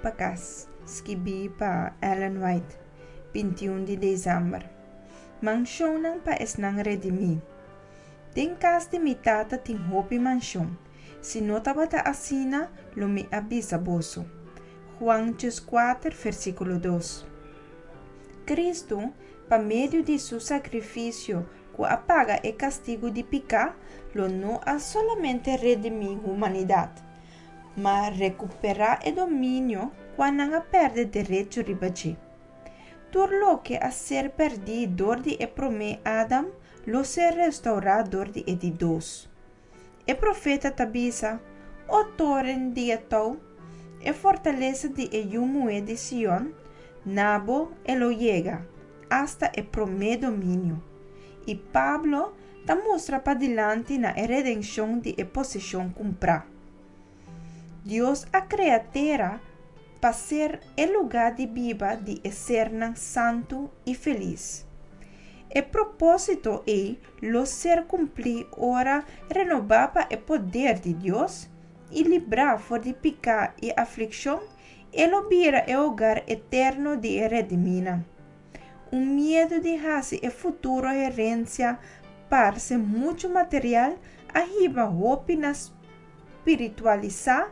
pa kas, skibí pa Ellen White, 21 di desèmber. Manshonnan pa esnan redimí. Den kas di mi Tata tin hopi manshon. Si no tabata asina, lo mi a bisa boso. Juan 4, versíkulo 2. Kristu, pa medio di su sakrifisio ku a paga e kastigu di piká, lo no a solamente redimí humanidat, ma rekuperá e dominio kua nan a pèrdè derecho riba dje. Tur loke a ser pèrdí dor di e promé Adam lo ser restourá dor di e di dos. E profeta ta bisa, O toren di e tou, e fortalesa di e yu muhé di Sion, na bo e lo yega, asta e promé dominio. I Pablo ta mustra padilanti na e redenshon di e poseshon kumprá. Dios a krea tera pa ser e lugá di biba di e sernan santu i felis. E propósito ei lo ser kumplí ora renobá pa e poder di Dios i librá for di piká i aflikshon, e lo bira e hogar eterno di e redimínan. Un miedu di hasi e futuro herensia parse muchu material a hiba hopi na spiritualisá,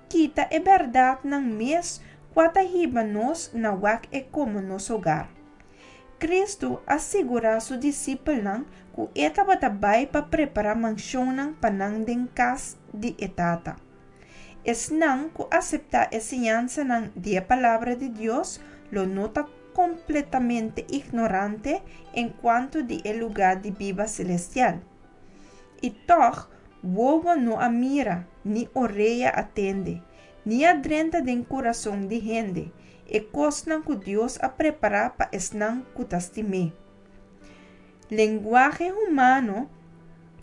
kita e bèrdatnan mes kua ta hiba nos na wak e komo nos hogar. Kristu a sigurá su disipelnan ku e tabata bai pa prepará manshonnan pa nan den kas di e Tata. Esnan ku aseptá e siñansanan di e Palabra di Dios lo no ta kompletamente ignorante enkuanto di e lugá di biba selestial. I tòg, wowo no a mira, ni orea a tende, ni a drenta den kurason di hende, e kosnan ku Dios a prepará pa esnan ku ta stim'é. Lenguahe humano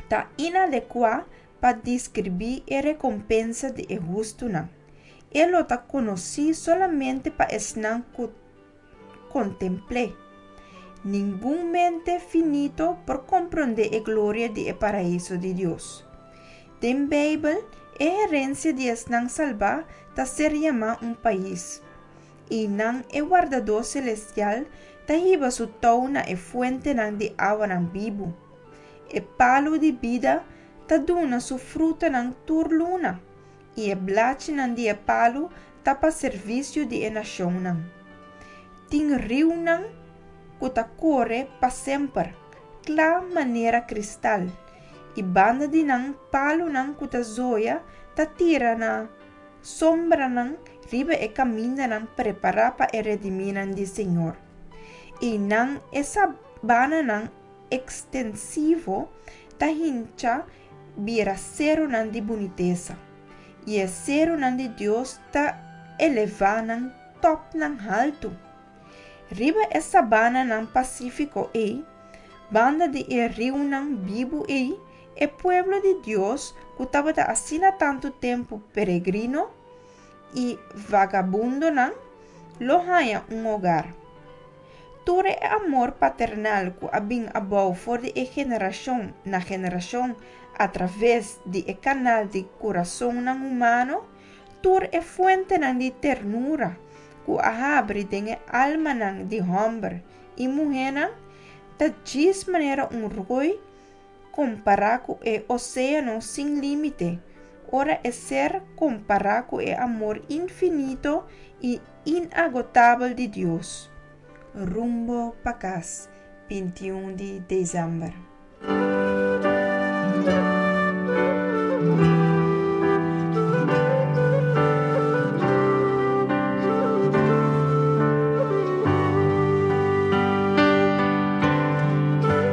ta inadekuá pa deskribí e rekompensa di e hustunan. E lo ta konosí solamente pa esnan ku kontempl'é. Ningun mente finito por komprondé e gloria di e paraiso di Dios. Den Beibel, e herensia di esnan salbá ta ser yamá un pais. Einan e Wardadó selestial ta hiba su tou na e fuentenan di awanan bibu. E palu di bida ta duna su frutanan tur luna, i e blachinan di e palu ta pa servisio di e nashonnan. Tin riunan ku ta kore pa semper, kla manera kristal, i banda di nan palunan ku ta zoya ta tira na sombranan riba e kamindanan prepará pa e redimínan di Señor. Einan e sabananan ekstensivo ta hincha bira serunan di bunitesa, i e serunan di Dios ta elevá nan tòpnan haltu. Riba e sabananan pasífiko ei, banda di e riunan bibu ei, e pueblo di Dios ku tabata asina tantu tempu peregrino i vagabundonan, lo haña un hogar. Tur e amor paternal ku a bin abou for di e generashon na generashon atraves di e kanal di kurasonnan humano, tur e fuentenan di ternura ku a habri den e almanan di hòmber i muhénan, ta djis manera un roi kompará ku e oséano sin límite, ora e ser kompará ku e amor infinito i inagotabel di Dios. Rumbo pa kas, 21 di desèmber.